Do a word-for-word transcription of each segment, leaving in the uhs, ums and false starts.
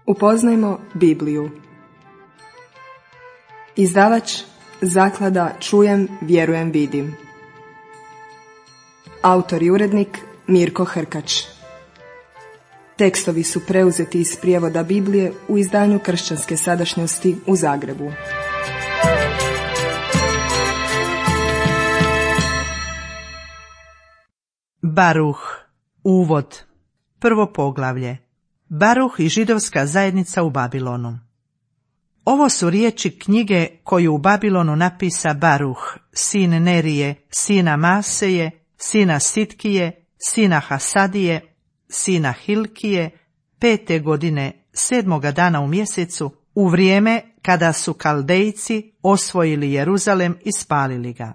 Upoznajmo Bibliju. Izdavač Zaklada Čujem, vjerujem, vidim. Autor i urednik Mirko Hrkač. Tekstovi su preuzeti iz prijevoda Biblije u izdanju Kršćanske sadašnjosti u Zagrebu. Baruh. Uvod. Prvo poglavlje. Baruh i židovska zajednica u Babilonu. Ovo su riječi knjige koju u Babilonu napisa Baruh, sin Nerije, sina Maseje, sina Sitkije, sina Hasadije, sina Hilkije, pete godine, sedmoga dana u mjesecu, u vrijeme kada su Kaldejci osvojili Jeruzalem i spalili ga.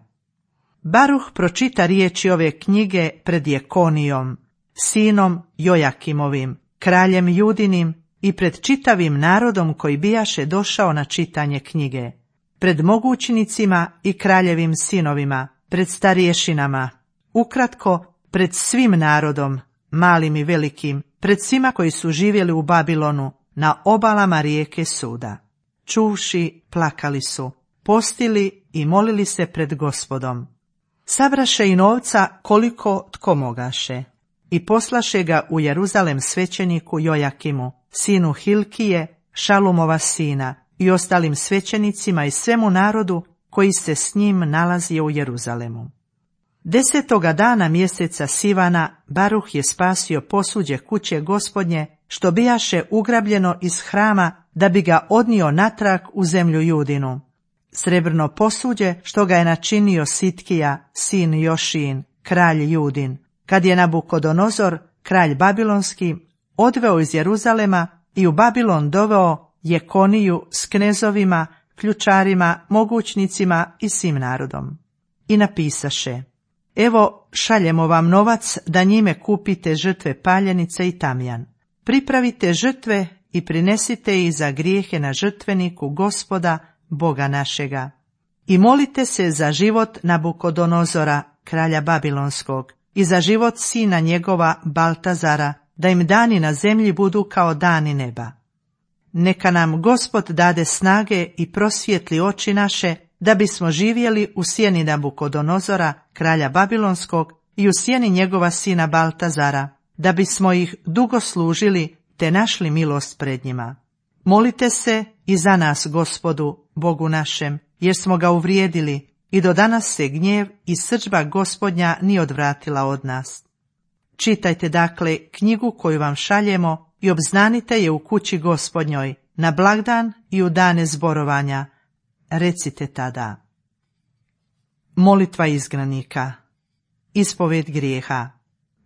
Baruh pročita riječi ove knjige pred Jekonijom, sinom Jojakimovim, kraljem Judinim, i pred čitavim narodom koji bijaše došao na čitanje knjige, pred mogućnicima i kraljevim sinovima, pred starješinama, ukratko pred svim narodom, malim i velikim, pred svima koji su živjeli u Babilonu, na obalama rijeke Suda. Čuvši, plakali su, postili i molili se pred Gospodom. Sabraše i novca koliko tko mogaše i poslaše ga u Jeruzalem svećeniku Jojakimu, sinu Hilkije, Šalumova sina, i ostalim svećenicima i svemu narodu koji se s njim nalazio u Jeruzalemu. Desetoga dana mjeseca Sivana Baruh je spasio posuđe kuće Gospodnje, što bijaše ugrabljeno iz hrama, da bi ga odnio natrag u zemlju Judinu. Srebrno posuđe što ga je načinio Sitkija, sin Jošin, kralj Judin, kad je Nabukodonozor, kralj Babilonski, odveo iz Jeruzalema i u Babilon doveo Jekoniju s knezovima, ključarima, mogućnicima i svim narodom. I napisaše: evo, šaljemo vam novac da njime kupite žrtve paljenice i tamjan. Pripravite žrtve i prinesite ih za grijehe na žrtveniku Gospoda, Boga našega. I molite se za život Nabukodonozora, kralja Babilonskog, i za život sina njegova Baltazara, da im dani na zemlji budu kao dani neba. Neka nam Gospod dade snage i prosvijetli oči naše, da bismo živjeli u sjeni Nabukodonozora, kralja Babilonskog, i u sjeni njegova sina Baltazara, da bismo ih dugo služili te našli milost pred njima. Molite se i za nas, Gospodu, Bogu našem, jer smo ga uvrijedili i do danas se gnjev i srdžba Gospodnja nije odvratila od nas. Čitajte dakle knjigu koju vam šaljemo i obznanite je u kući Gospodnjoj, na blagdan i u dane zborovanja. Recite tada: molitva izgnanika, ispoved grijeha.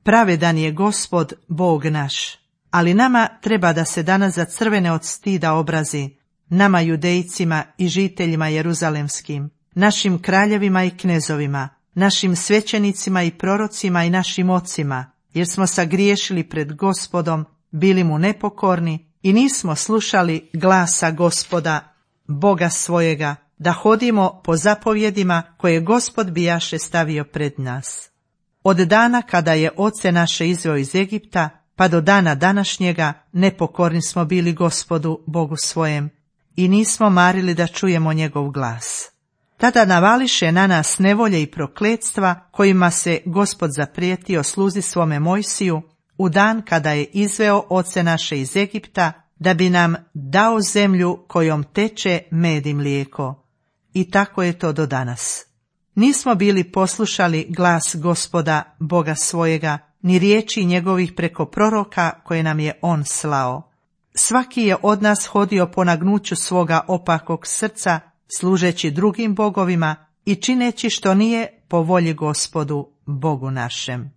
Pravedan je Gospod, Bog naš, ali nama treba da se danas zacrvene od stida obrazi, nama judejcima i žiteljima jeruzalemskim, našim kraljevima i knezovima, našim svećenicima i prorocima i našim ocima, jer smo sagriješili pred Gospodom, bili mu nepokorni i nismo slušali glasa Gospoda, Boga svojega, da hodimo po zapovjedima koje Gospod bijaše stavio pred nas. Od dana kada je oce naše izveo iz Egipta, pa do dana današnjega nepokorni smo bili Gospodu, Bogu svojem, i nismo marili da čujemo njegov glas. Tada navališe na nas nevolje i prokletstva, kojima se Gospod zaprijetio sluzi svome Mojsiju u dan kada je izveo oce naše iz Egipta, da bi nam dao zemlju kojom teče med i mlijeko. I tako je to do danas. Nismo bili poslušali glas Gospoda, Boga svojega, ni riječi njegovih preko proroka koje nam je on slao. Svaki je od nas hodio po nagnuću svoga opakog srca, služeći drugim bogovima i čineći što nije po volji Gospodu, Bogu našem.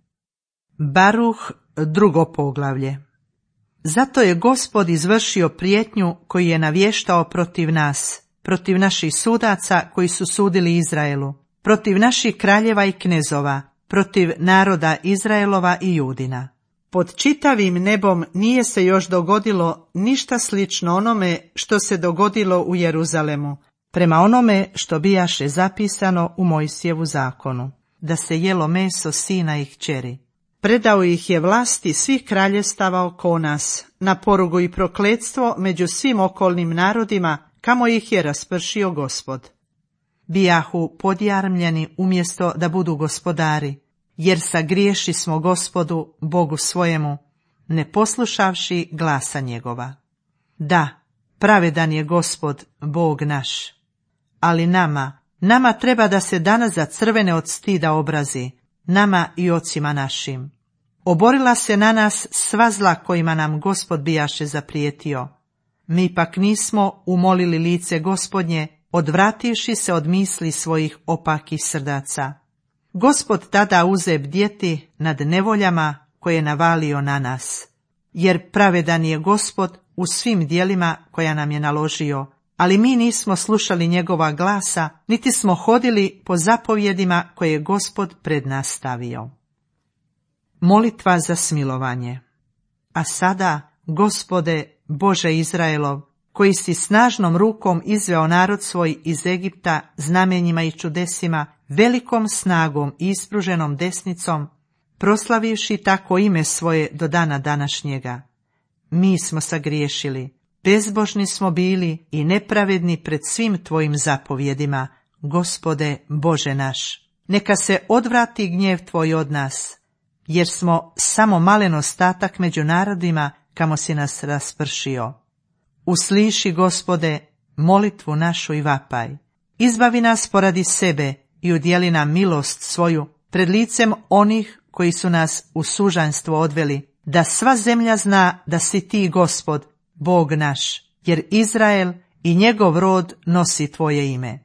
Baruh, drugo poglavlje. Zato je Gospod izvršio prijetnju koju je navještao protiv nas, protiv naših sudaca koji su sudili Izraelu, protiv naših kraljeva i knezova, protiv naroda Izraelova i Judina. Pod čitavim nebom nije se još dogodilo ništa slično onome što se dogodilo u Jeruzalemu, prema onome što bijaše zapisano u Mojsijevu zakonu, da se jelo meso sina i kćeri. Predao ih je vlasti svih kraljestava oko nas, na porugu i prokletstvo među svim okolnim narodima, kamo ih je raspršio Gospod. Bijahu podjarmljeni umjesto da budu gospodari, jer sagriješi smo Gospodu, Bogu svojemu, ne poslušavši glasa njegova. Da, pravedan je Gospod, Bog naš. Ali nama, nama treba da se danas za crvene od stida obrazi, nama i ocima našim. Oborila se na nas sva zla kojima nam Gospod bijaše zaprijetio. Mi pak nismo umolili lice Gospodnje, odvrativši se od misli svojih opakih srdaca. Gospod tada uze bdjeti nad nevoljama koje je navalio na nas, jer pravedan je Gospod u svim djelima koja nam je naložio, ali mi nismo slušali njegova glasa, niti smo hodili po zapovjedima koje je Gospod pred nas stavio. Molitva za smilovanje. A sada, Gospode, Bože Izraelov, koji si snažnom rukom izveo narod svoj iz Egipta znamenjima i čudesima, velikom snagom i ispruženom desnicom, proslavivši tako ime svoje do dana današnjega. Mi smo sagriješili, bezbožni smo bili i nepravedni pred svim tvojim zapovjedima, Gospode, Bože naš. Neka se odvrati gnjev tvoj od nas, jer smo samo malen ostatak među narodima kamo si nas raspršio. Usliši, Gospode, molitvu našu i vapaj. Izbavi nas poradi sebe i udjeli nam milost svoju pred licem onih koji su nas u sužanjstvo odveli, da sva zemlja zna da si ti, Gospod, Bog naš, jer Izrael i njegov rod nosi tvoje ime.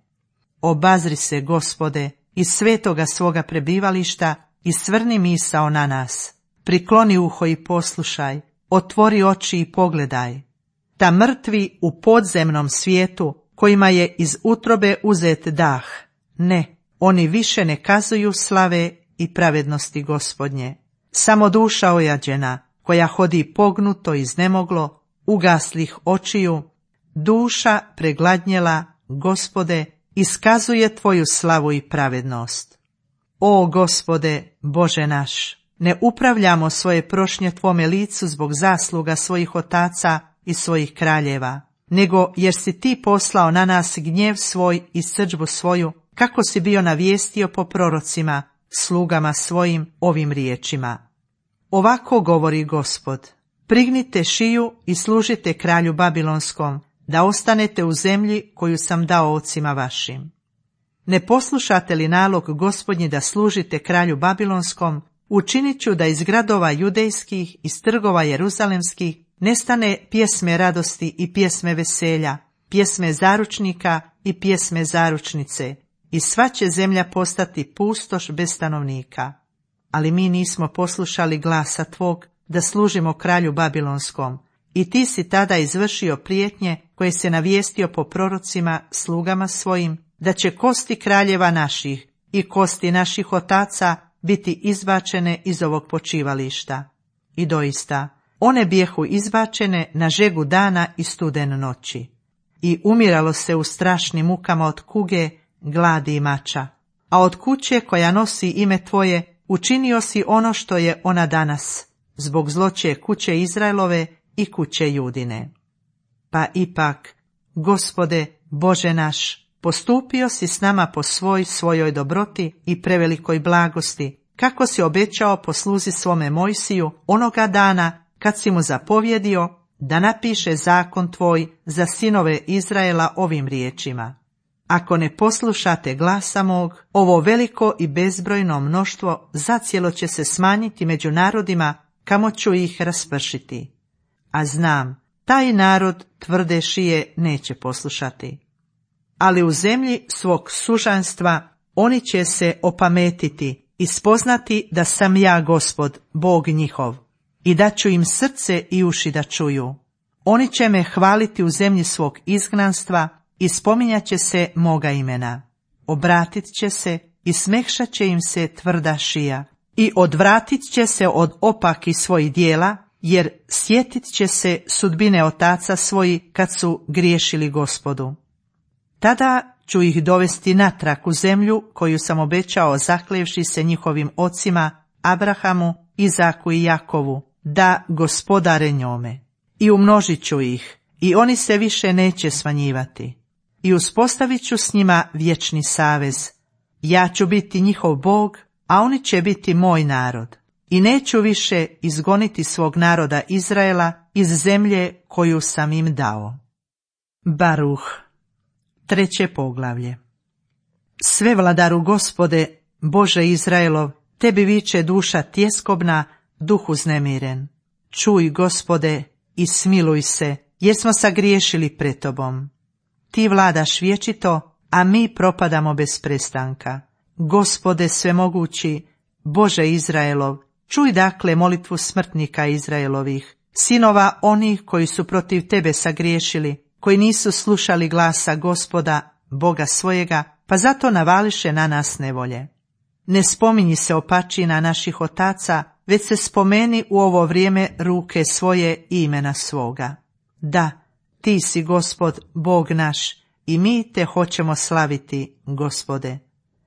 Obazri se, Gospode, iz svetoga svoga prebivališta i svrni misao na nas. Prikloni uho i poslušaj, otvori oči i pogledaj. Ta mrtvi u podzemnom svijetu, kojima je iz utrobe uzet dah, ne, oni više ne kazuju slave i pravednosti Gospodnje. Samo duša ojađena, koja hodi pognuto iznemoglo, ugaslih očiju, duša pregladnjela, Gospode, iskazuje tvoju slavu i pravednost. O Gospode, Bože naš, ne upravljamo svoje prošnje tvome licu zbog zasluga svojih otaca i svojih kraljeva, nego jer si ti poslao na nas gnjev svoj i srdžbu svoju, kako si bio navijestio po prorocima, slugama svojim ovim riječima. Ovako govori Gospod: prignite šiju i služite kralju Babilonskom, da ostanete u zemlji koju sam dao ocima vašim. Ne poslušate li nalog Gospodnji da služite kralju Babilonskom, učinit ću da iz gradova judejskih, iz trgova jeruzalemskih, nestane pjesme radosti i pjesme veselja, pjesme zaručnika i pjesme zaručnice, i sva će zemlja postati pustoš bez stanovnika. Ali mi nismo poslušali glasa tvog da služimo kralju Babilonskom, i ti si tada izvršio prijetnje koje se navijestio po prorocima, slugama svojim, da će kosti kraljeva naših i kosti naših otaca biti izbačene iz ovog počivališta. I doista, one bijehu izbačene na žegu dana i studen noći. I umiralo se u strašnim mukama od kuge, gladi i mača. A od kuće koja nosi ime tvoje učinio si ono što je ona danas, zbog zloće kuće Izraelove i kuće Judine. Pa ipak, Gospode, Bože naš, postupio si s nama po svoj svojoj dobroti i prevelikoj blagosti, kako si obećao po sluzi svome Mojsiju onoga dana kad si mu zapovjedio da napiše zakon tvoj za sinove Izraela ovim riječima: ako ne poslušate glasa mog, ovo veliko i bezbrojno mnoštvo zacijelo će se smanjiti među narodima, kamo ću ih raspršiti. A znam, taj narod tvrde šije neće poslušati. Ali u zemlji svog sužanstva oni će se opametiti i spoznati da sam ja Gospod, Bog njihov, i da ću im srce i uši da čuju. Oni će me hvaliti u zemlji svog izgnanstva i spominjat će se moga imena. Obratit će se i smekšat će im se tvrda šija i odvratit će se od opaki svojih dijela, jer sjetit će se sudbine otaca svoji kad su griješili Gospodu. Tada ću ih dovesti natrag u zemlju koju sam obećao zaklevši se njihovim ocima, Abrahamu, Izaku i Jakovu, da gospodare njome. I umnožit ću ih, i oni se više neće smanjivati. I uspostavit ću s njima vječni savez. Ja ću biti njihov Bog, a oni će biti moj narod. I neću više izgoniti svog naroda Izraela iz zemlje koju sam im dao. Baruh, treće poglavlje. Sve vladaru Gospode, Bože Izraelov, tebi viče duša tjeskobna, duh uznemiren. Čuj, Gospode, i smiluj se, jer smo sagriješili pred tobom. Ti vladaš vječito, a mi propadamo bez prestanka. Gospode svemogući, Bože Izraelov, čuj dakle molitvu smrtnika Izraelovih, sinova onih koji su protiv tebe sagriješili, koji nisu slušali glasa Gospoda, Boga svojega, pa zato navališe na nas nevolje. Ne spominji se opačina naših otaca, već se spomeni u ovo vrijeme ruke svoje i imena svoga. Da, ti si Gospod, Bog naš, i mi te hoćemo slaviti, Gospode.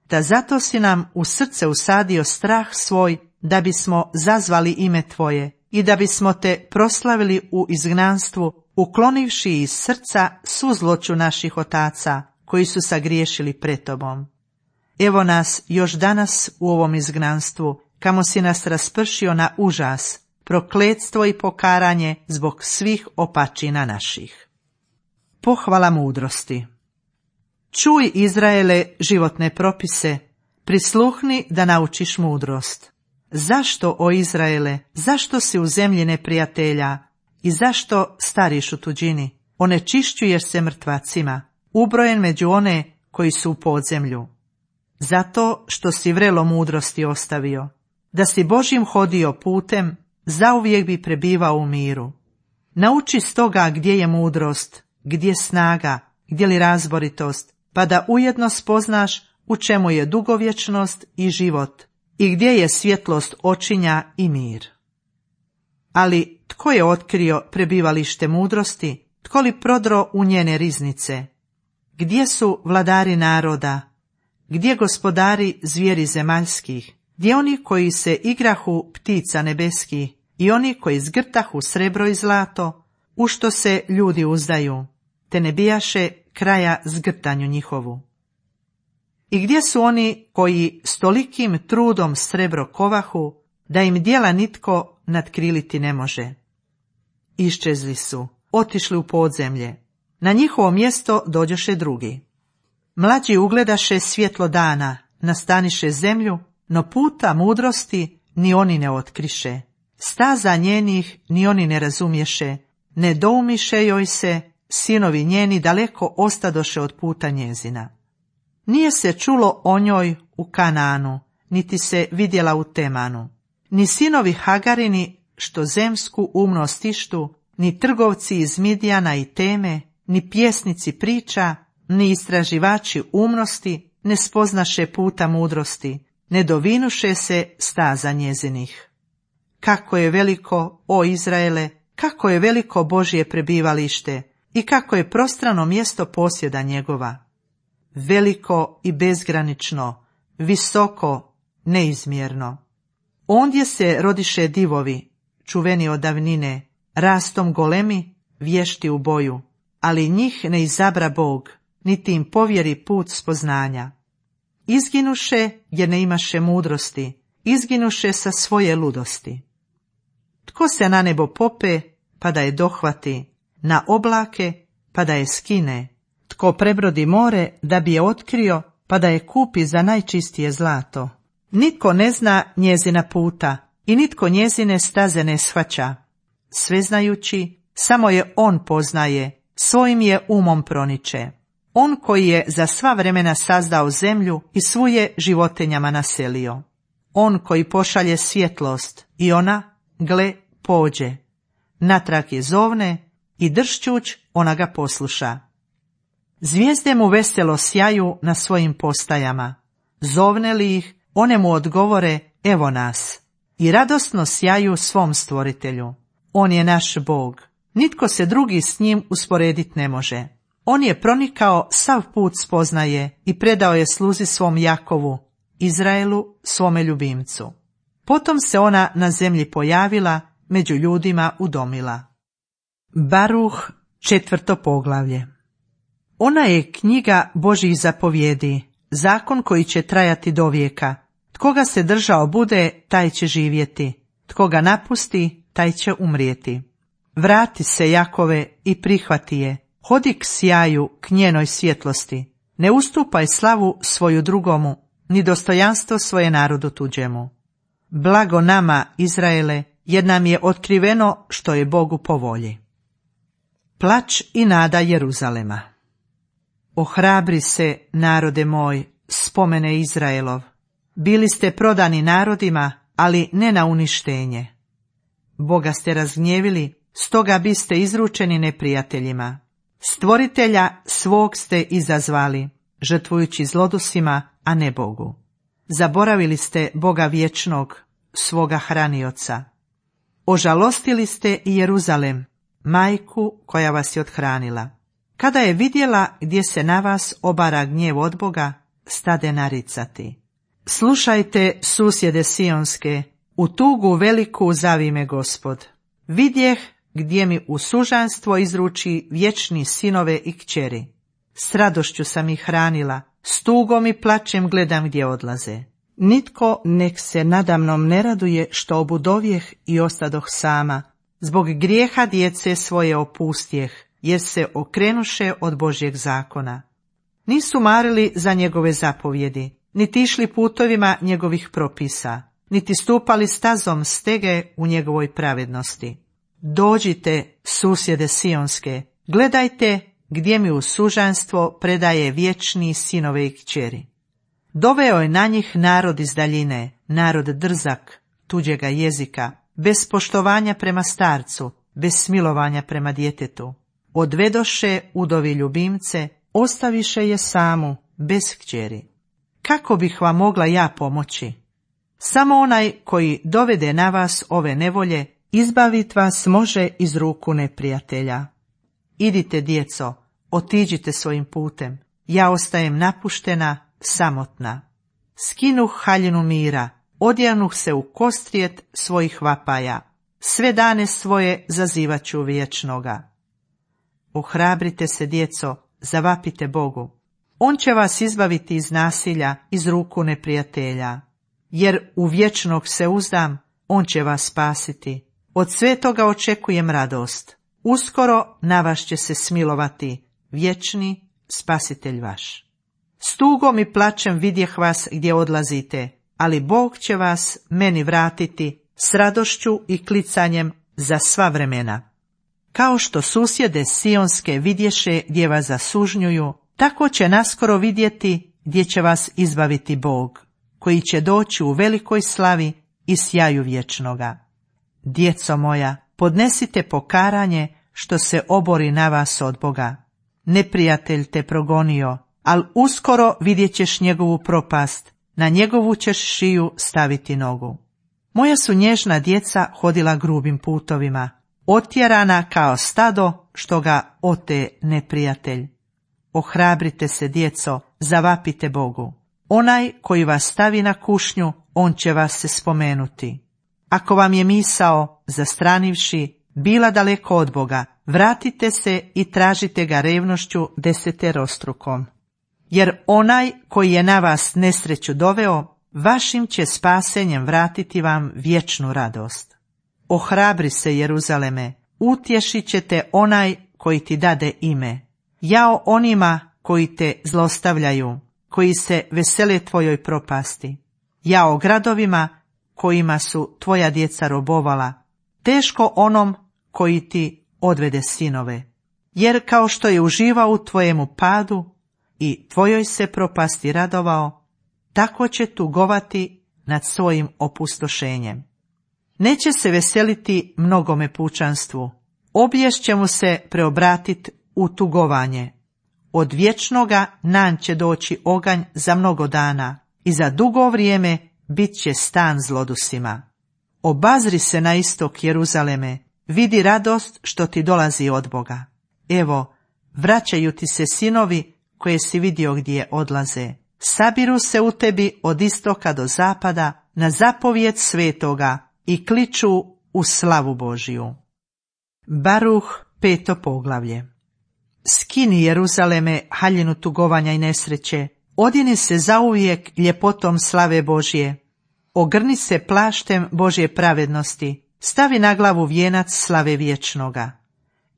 Da zato si nam u srce usadio strah svoj, da bismo zazvali ime tvoje i da bismo te proslavili u izgnanstvu, uklonivši iz srca svu zloću naših otaca, koji su sagriješili pred tobom. Evo nas još danas u ovom izgnanstvu, kamo si nas raspršio na užas, prokletstvo i pokaranje zbog svih opačina naših. Pohvala mudrosti. Čuj, Izraele, životne propise, prisluhni da naučiš mudrost. Zašto, o Izraele, zašto si u zemlji neprijatelja i zašto stariš u tuđini? Onečišćuješ se mrtvacima, ubrojen među one koji su u podzemlju. Zato što si vrelo mudrosti ostavio, da si Božjim hodio putem, zauvijek bi prebivao u miru. Nauči stoga gdje je mudrost, gdje snaga, gdje li razboritost, pa da ujedno spoznaš u čemu je dugovječnost i život i gdje je svjetlost očinja i mir. Ali tko je otkrio prebivalište mudrosti, tko li prodro u njene riznice? Gdje su vladari naroda? Gdje gospodari zvijeri zemaljskih? Gdje oni koji se igrahu ptica nebeskih i oni koji zgrtahu srebro i zlato, u što se ljudi uzdaju, te ne bijaše kraja zgrtanju njihovu? I gdje su oni koji s tolikim trudom srebro kovahu, da im djela nitko nadkriliti ne može? Iščezli su, otišli u podzemlje, na njihovo mjesto dođoše drugi. Mlađi ugledaše svjetlo dana, nastaniše zemlju, no puta mudrosti ni oni ne otkriše. Staza njenih ni oni ne razumješe, ne doumiše joj se, sinovi njeni daleko ostadoše od puta njezina. Nije se čulo o njoj u Kanaanu, niti se vidjela u Temanu. Ni sinovi Hagarini, što zemsku umnost ištu, ni trgovci iz Midijana i Teme, ni pjesnici priča, ni istraživači umnosti ne spoznaše puta mudrosti, ne dovinuše se staza njezinih. Kako je veliko, o Izraele, kako je veliko Božje prebivalište i kako je prostrano mjesto posjeda njegova. Veliko i bezgranično, visoko, neizmjerno. Ondje se rodiše divovi, čuveni od davnine, rastom golemi, vješti u boju, ali njih ne izabra Bog, niti im povjeri put spoznanja. Izginuše jer ne imaše mudrosti, izginuše sa svoje ludosti. Tko se na nebo pope, pa da je dohvati, na oblake, pa da je skine, tko prebrodi more, da bi je otkrio, pa da je kupi za najčistije zlato. Nitko ne zna njezina puta i nitko njezine staze ne shvaća. Sveznajući, samo je on poznaje, svojim je umom proniče. On koji je za sva vremena sazdao zemlju i svu je životinjama naselio. On koji pošalje svjetlost i ona, gle, pođe. Natrag je zovne i dršćuć ona ga posluša. Zvijezde mu veselo sjaju na svojim postajama. Zovne li ih, one mu odgovore, evo nas. I radosno sjaju svom stvoritelju. On je naš Bog. Nitko se drugi s njim usporedit ne može. On je pronikao, sav put spoznaje i predao je sluzi svom Jakovu, Izraelu, svome ljubimcu. Potom se ona na zemlji pojavila, među ljudima udomila. Baruh, četvrto poglavlje. Ona je knjiga Božjih zapovjedi, zakon koji će trajati do vijeka. Tko ga se držao bude, taj će živjeti. Tko ga napusti, taj će umrijeti. Vrati se, Jakove, i prihvati je. Hodi k sjaju, k njenoj svjetlosti. Ne ustupaj slavu svoju drugomu, ni dostojanstvo svoje narodu tuđemu. Blago nama, Izraele, jer nam je otkriveno što je Bogu po volji. Plač i nada Jeruzalema. Ohrabri se, narode moj, spomene Izraelov. Bili ste prodani narodima, ali ne na uništenje. Boga ste razgnjevili, stoga biste izručeni neprijateljima. Stvoritelja svog ste izazvali, žrtvujući zlodusima, a ne Bogu. Zaboravili ste Boga vječnog, svoga hranioca. Ožalostili ste i Jeruzalem, majku koja vas je othranila. Kada je vidjela gdje se na vas obara gnjev od Boga, stade naricati. Slušajte, susjede sionske, u tugu veliku zavi me Gospod. Vidjeh gdje mi u sužanstvo izruči vječni sinove i kćeri. S radošću sam ih hranila, s tugom i plačem gledam gdje odlaze. Nitko nek se nadamnom ne raduje što obudovjeh i ostadoh sama. Zbog grijeha djece svoje opustjeh, jer se okrenuše od Božjeg zakona. Nisu marili za njegove zapovjedi, niti išli putovima njegovih propisa, niti stupali stazom stege u njegovoj pravednosti. Dođite, susjede sionske, gledajte gdje mi u sužanstvo predaje vječni sinove i kćeri. Doveo je na njih narod iz daljine, narod drzak, tuđega jezika, bez poštovanja prema starcu, bez smilovanja prema djetetu. Odvedoše udovi ljubimce, ostaviše je samu, bez kćeri. Kako bih vam mogla ja pomoći? Samo onaj koji dovede na vas ove nevolje, izbavit vas može iz ruku neprijatelja. Idite, djeco, otiđite svojim putem, ja ostajem napuštena, samotna. Skinuh haljinu mira, odjanuh se u kostrijet svojih vapaja, sve dane svoje zazivaću vječnoga. Ohrabrite se, djeco, zavapite Bogu. On će vas izbaviti iz nasilja, iz ruku neprijatelja. Jer u vječnog se uzdam, on će vas spasiti. Od svetoga očekujem radost. Uskoro na vas će se smilovati, vječni spasitelj vaš. S tugom i plačem vidjeh vas gdje odlazite, ali Bog će vas meni vratiti s radošću i klicanjem za sva vremena. Kao što susjede sionske vidješe gdje vas zasužnjuju, tako će naskoro vidjeti gdje će vas izbaviti Bog, koji će doći u velikoj slavi i sjaju vječnoga. Djeco moja, podnesite pokaranje što se obori na vas od Boga. Neprijatelj te progonio, al uskoro vidjet ćeš njegovu propast, na njegovu ćeš šiju staviti nogu. Moja su nježna djeca hodila grubim putovima, otjerana kao stado što ga ote neprijatelj. Ohrabrite se, djeco, zavapite Bogu. Onaj koji vas stavi na kušnju, on će vas se spomenuti. Ako vam je misao, zastranivši, bila daleko od Boga, vratite se i tražite ga revnošću deseterostrukom. Jer onaj koji je na vas nesreću doveo, vašim će spasenjem vratiti vam vječnu radost. Ohrabri se, Jeruzaleme, utješit će te onaj koji ti dade ime. Jao onima koji te zlostavljaju, koji se vesele tvojoj propasti. Jao gradovima kojima su tvoja djeca robovala. Teško onom koji ti odvede sinove. Jer kao što je uživao u tvojemu padu i tvojoj se propasti radovao, tako će tugovati nad svojim opustošenjem. Neće se veseliti mnogome pučanstvu, obijest će mu se preobratit u tugovanje. Od vječnoga nan će doći oganj za mnogo dana i za dugo vrijeme bit će stan zlodusima. Obazri se na istok, Jeruzaleme, vidi radost što ti dolazi od Boga. Evo, vraćaju ti se sinovi koje si vidio gdje odlaze. Sabiru se u tebi od istoka do zapada, na zapovjed svetoga i kliču u slavu Božiju. Baruh, peto poglavlje. Skini, Jeruzaleme, haljinu tugovanja i nesreće, odjeni se zauvijek ljepotom slave Božje, ogrni se plaštem Božje pravednosti, stavi na glavu vijenac slave vječnoga,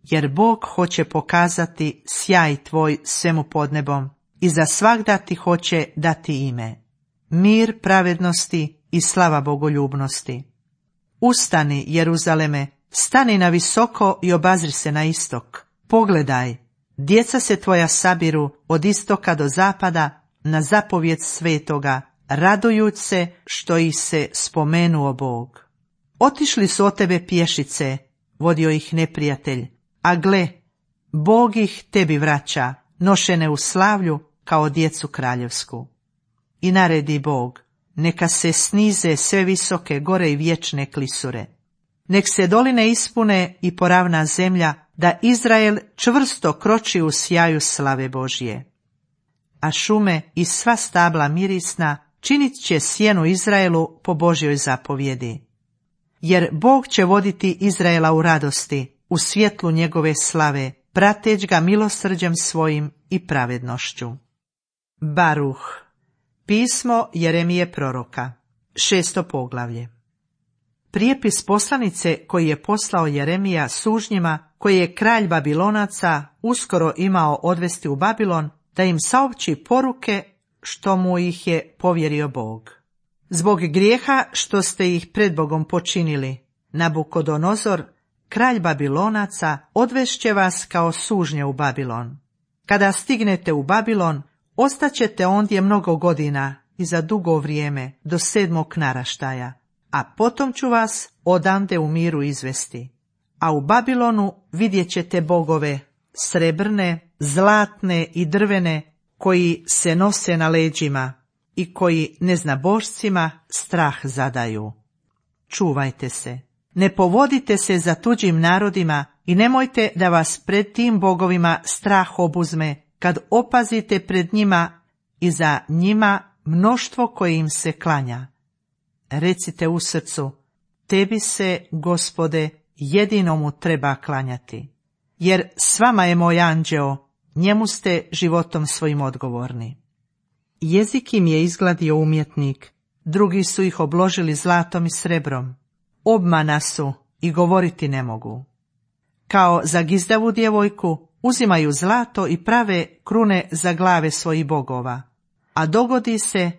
jer Bog hoće pokazati sjaj tvoj svemu pod nebom i za svagda ti hoće dati ime, mir pravednosti i slava bogoljubnosti. Ustani, Jeruzaleme, stani na visoko i obazri se na istok. Pogledaj, djeca se tvoja sabiru od istoka do zapada na zapovjed svetoga, radujuć se što ih se spomenuo Bog. Otišli su od tebe pješice, vodio ih neprijatelj, a gle, Bog ih tebi vraća, nošene u slavlju kao djecu kraljevsku. I naredi Bog, neka se snize sve visoke gore i vječne klisure. Nek se doline ispune i poravna zemlja, da Izrael čvrsto kroči u sjaju slave Božje. A šume i sva stabla mirisna činit će sjenu Izraelu po Božjoj zapovjedi. Jer Bog će voditi Izraela u radosti, u svjetlu njegove slave, prateć ga milosrđem svojim i pravednošću. Baruh, pismo Jeremije proroka, šesto poglavlje. Prijepis poslanice koji je poslao Jeremija sužnjima, koji je kralj Babilonaca uskoro imao odvesti u Babilon, da im saopći poruke što mu ih je povjerio Bog. Zbog grijeha što ste ih pred Bogom počinili, Nabukodonozor, kralj Babilonaca, odvešće vas kao sužnje u Babilon. Kada stignete u Babilon, ostaćete ondje mnogo godina i za dugo vrijeme, do sedmog naraštaja, a potom ću vas odande u miru izvesti. A u Babilonu vidjet ćete bogove, srebrne, zlatne i drvene, koji se nose na leđima i koji neznabošcima strah zadaju. Čuvajte se, ne povodite se za tuđim narodima i nemojte da vas pred tim bogovima strah obuzme, kad opazite pred njima i za njima mnoštvo koje im se klanja. Recite u srcu, tebi se, Gospode, jedinomu treba klanjati, jer s vama je moj anđeo, njemu ste životom svojim odgovorni. Jezik im je izgladio umjetnik, drugi su ih obložili zlatom i srebrom. Obmana su i govoriti ne mogu. Kao za gizdavu djevojku uzimaju zlato i prave krune za glave svojih bogova, a dogodi se,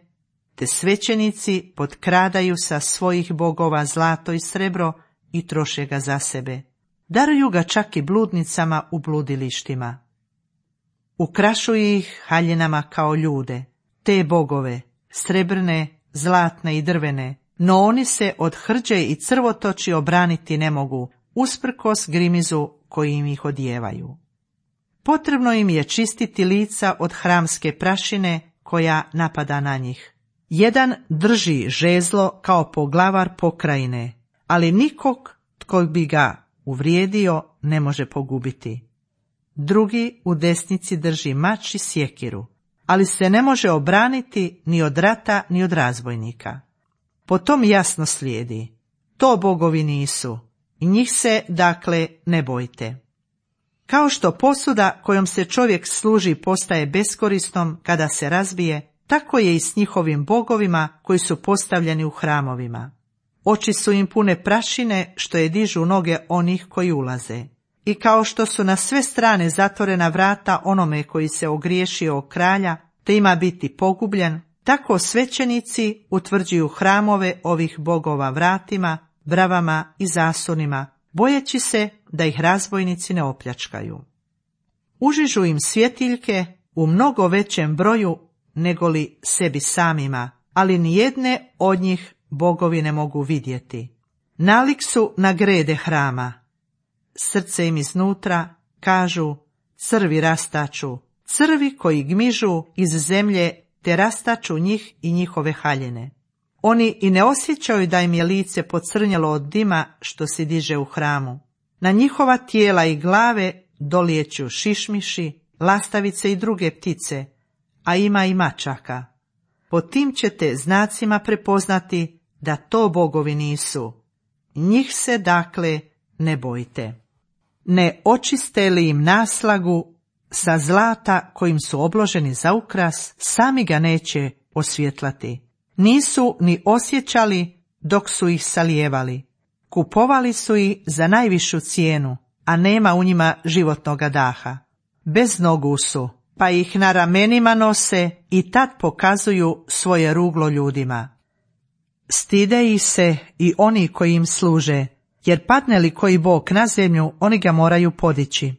te svećenici potkradaju sa svojih bogova zlato i srebro i troše ga za sebe. Daruju ga čak i bludnicama u bludilištima. Ukrašuju ih haljinama kao ljude, te bogove, srebrne, zlatne i drvene, no oni se od hrđe i crvotoči obraniti ne mogu, usprkos grimizu koji im ih odjevaju. Potrebno im je čistiti lica od hramske prašine koja napada na njih. Jedan drži žezlo kao poglavar pokrajine, ali nikog tko bi ga uvrijedio ne može pogubiti. Drugi u desnici drži mač i sjekiru, ali se ne može obraniti ni od rata ni od razbojnika. Potom jasno slijedi, to bogovi nisu, i njih se, dakle, ne bojte. Kao što posuda kojom se čovjek služi postaje beskorisnom kada se razbije, tako je i s njihovim bogovima koji su postavljeni u hramovima. Oči su im pune prašine što je dižu noge onih koji ulaze. I kao što su na sve strane zatvorena vrata onome koji se ogriješio o kralja, te ima biti pogubljen, tako svećenici utvrđuju hramove ovih bogova vratima, bravama i zasunima, bojeći se da ih razbojnici ne opljačkaju. Užižu im svjetiljke u mnogo većem broju negoli sebi samima, ali nijedne od njih bogovi ne mogu vidjeti. Nalik su na grede hrama. Srce im iznutra, kažu, crvi rastaču, crvi koji gmižu iz zemlje te rastaču njih i njihove haljine. Oni i ne osjećaju da im je lice pocrnjelo od dima što se diže u hramu. Na njihova tijela i glave dolijeću šišmiši, lastavice i druge ptice, a ima i mačaka. Po tim ćete znacima prepoznati da to bogovi nisu. Njih se dakle ne bojte. Ne očiste li im naslagu sa zlata kojim su obloženi za ukras, sami ga neće osvjetlati. Nisu ni osjećali dok su ih salijevali. Kupovali su ih za najvišu cijenu, a nema u njima životnoga daha. Bez nogu su, pa ih na ramenima nose i tad pokazuju svoje ruglo ljudima. Stide ih se i oni koji im služe, jer padne li koji bog na zemlju, oni ga moraju podići.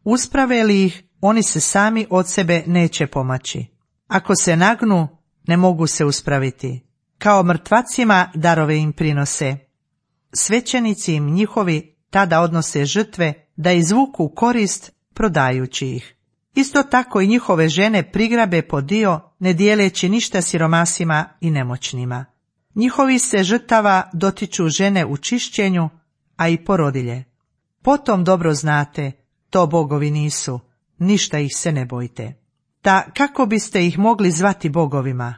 Usprave li ih, oni se sami od sebe neće pomaći. Ako se nagnu, ne mogu se uspraviti. Kao mrtvacima darove im prinose. Svećenici im njihovi tada odnose žrtve da izvuku korist prodajući ih. Isto tako i njihove žene prigrabe po dio, ne dijeleći ništa siromasima i nemoćnima. Njihovi se žrtava dotiču žene u čišćenju, a i porodilje. Potom dobro znate, to bogovi nisu, ništa ih se ne bojte. Ta kako biste ih mogli zvati bogovima?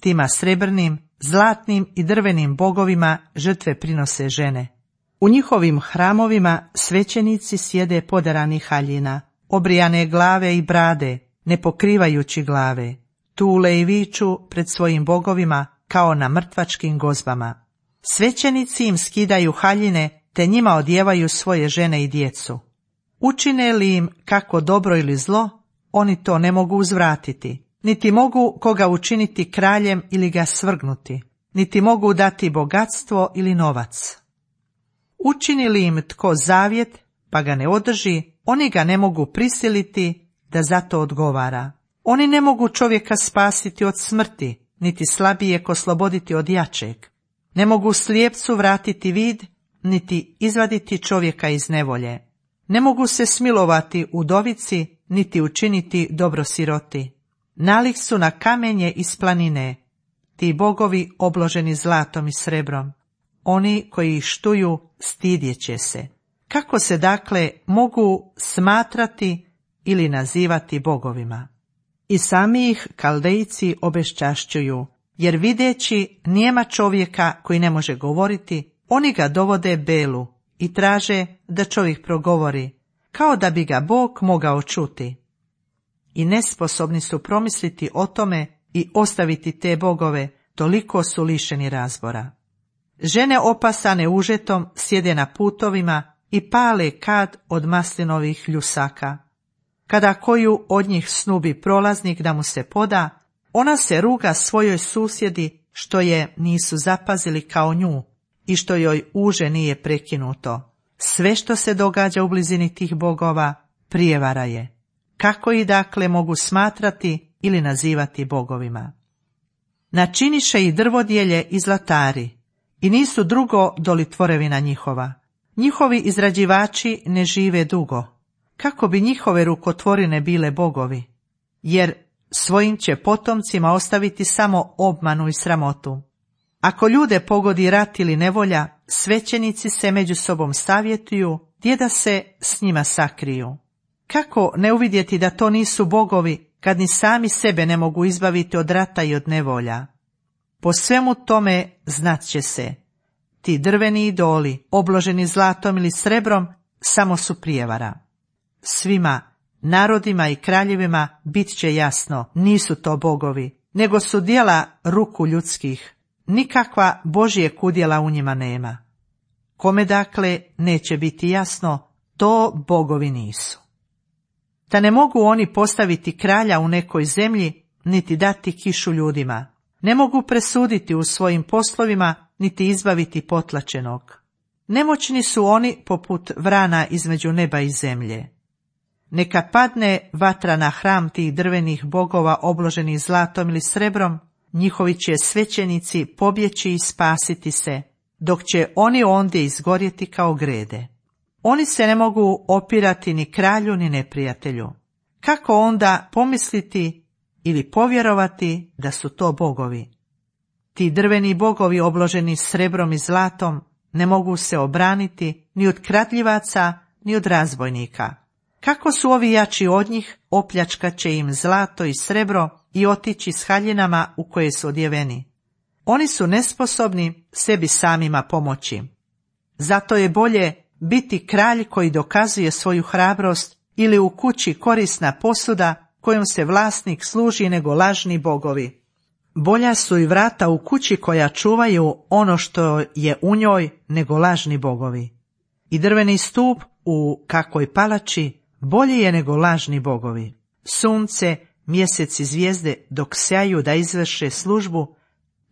Tima srebrnim, zlatnim i drvenim bogovima žrtve prinose žene. U njihovim hramovima svećenici sjede poderanih haljina, obrijane glave i brade, ne pokrivajući glave, tule i viču pred svojim bogovima kao na mrtvačkim gozbama. Svećenici im skidaju haljine, te njima odjevaju svoje žene i djecu. Učine li im kako dobro ili zlo, oni to ne mogu uzvratiti, niti mogu koga učiniti kraljem ili ga svrgnuti, niti mogu dati bogatstvo ili novac. Učini li im tko zavjet, pa ga ne održi, oni ga ne mogu prisiliti da za to odgovara. Oni ne mogu čovjeka spasiti od smrti, niti slabijeg osloboditi od jačeg. Ne mogu slijepcu vratiti vid, niti izvaditi čovjeka iz nevolje. Ne mogu se smilovati udovici, niti učiniti dobro siroti. Nalik su na kamenje iz planine, ti bogovi obloženi zlatom i srebrom. Oni koji ih štuju stidjet će se. Kako se dakle mogu smatrati ili nazivati bogovima? I sami ih Kaldejci obeščašćuju, jer videći nijema čovjeka koji ne može govoriti, oni ga dovode Belu i traže da čovjek progovori, kao da bi ga Bog mogao čuti. I nesposobni su promisliti o tome i ostaviti te bogove, toliko su lišeni razbora. Žene opasane užetom sjede na putovima i pale kad od maslinovih ljusaka. Kada koju od njih snubi prolaznik da mu se poda, ona se ruga svojoj susjedi što je nisu zapazili kao nju i što joj uže nije prekinuto. Sve što se događa u blizini tih bogova prijevara je. Kako ih dakle mogu smatrati ili nazivati bogovima? Načiniše i drvodjelje i zlatari, i nisu drugo doli tvorevina njihova. Njihovi izrađivači ne žive dugo. Kako bi njihove rukotvorine bile bogovi? Jer svojim će potomcima ostaviti samo obmanu i sramotu. Ako ljude pogodi rat ili nevolja, svećenici se među sobom savjetuju, gdje da se s njima sakriju. Kako ne uvidjeti da to nisu bogovi, kad ni sami sebe ne mogu izbaviti od rata i od nevolja? Po svemu tome znat će se, ti drveni idoli, obloženi zlatom ili srebrom, samo su prijevara. Svima, narodima i kraljevima bit će jasno, nisu to bogovi, nego su djela ruku ljudskih, nikakva Božijeg udjela u njima nema. Kome dakle neće biti jasno, to bogovi nisu. Da ne mogu oni postaviti kralja u nekoj zemlji, niti dati kišu ljudima. Ne mogu presuditi u svojim poslovima, niti izbaviti potlačenog. Nemoćni su oni poput vrana između neba i zemlje. Neka padne vatra na hram tih drvenih bogova obloženih zlatom ili srebrom, njihovi će svećenici pobjeći i spasiti se, dok će oni ondje izgorjeti kao grede. Oni se ne mogu opirati ni kralju ni neprijatelju. Kako onda pomisliti ili povjerovati da su to bogovi? Ti drveni bogovi obloženi srebrom i zlatom ne mogu se obraniti ni od kradljivaca ni od razbojnika. Kako su ovi jači od njih, opljačkat će im zlato i srebro i otići s haljinama u koje su odjeveni. Oni su nesposobni sebi samima pomoći. Zato je bolje biti kralj koji dokazuje svoju hrabrost ili u kući korisna posuda kojom se vlasnik služi nego lažni bogovi. Bolja su i vrata u kući koja čuvaju ono što je u njoj nego lažni bogovi. I drveni stup u kakvoj palači bolji je nego lažni bogovi. Sunce, mjesec i zvijezde dok sjaju da izvrše službu,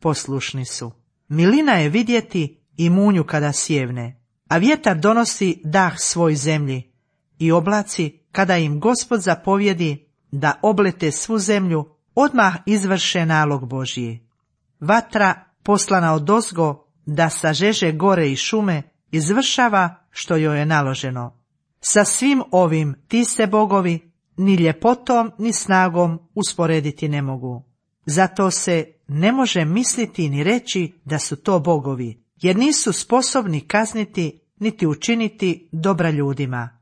poslušni su. Milina je vidjeti i munju kada sjevne, a vjetar donosi dah svoj zemlji i oblaci kada im Gospod zapovjedi da oblete svu zemlju, odmah izvrše nalog Božji. Vatra poslana odozgo da sažeže gore i šume, izvršava što joj je naloženo. Sa svim ovim ti se bogovi ni ljepotom ni snagom usporediti ne mogu. Zato se ne može misliti ni reći da su to bogovi, jer nisu sposobni kazniti niti učiniti dobra ljudima.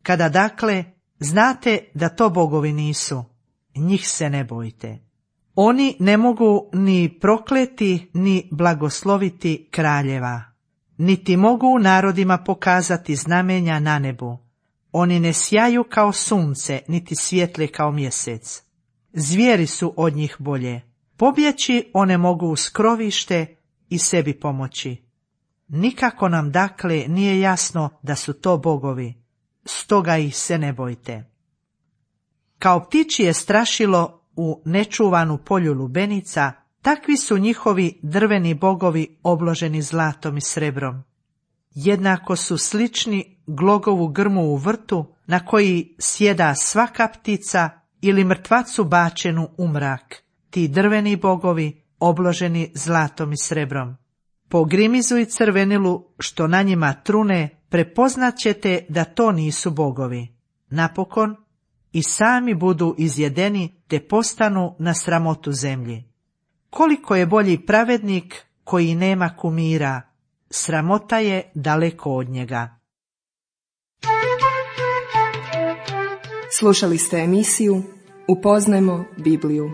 Kada dakle znate da to bogovi nisu, njih se ne bojte. Oni ne mogu ni prokleti ni blagosloviti kraljeva, niti mogu narodima pokazati znamenja na nebu. Oni ne sjaju kao sunce, niti svijetle kao mjesec. Zvijeri su od njih bolje. Pobjeći one mogu u skrovište i sebi pomoći. Nikako nam dakle nije jasno da su to bogovi, stoga ih se ne bojte. Kao ptičije strašilo u nečuvanu polju lubenica, takvi su njihovi drveni bogovi obloženi zlatom i srebrom. Jednako su slični glogovu grmu u vrtu na koji sjeda svaka ptica ili mrtvacu bačenu u mrak, ti drveni bogovi obloženi zlatom i srebrom. Po grimizu i crvenilu što na njima trune prepoznat ćete da to nisu bogovi. Napokon i sami budu izjedeni te postanu na sramotu zemlji. Koliko je bolji pravednik koji nema kumira, sramota je daleko od njega. Slušali ste emisiju Upoznajmo Bibliju.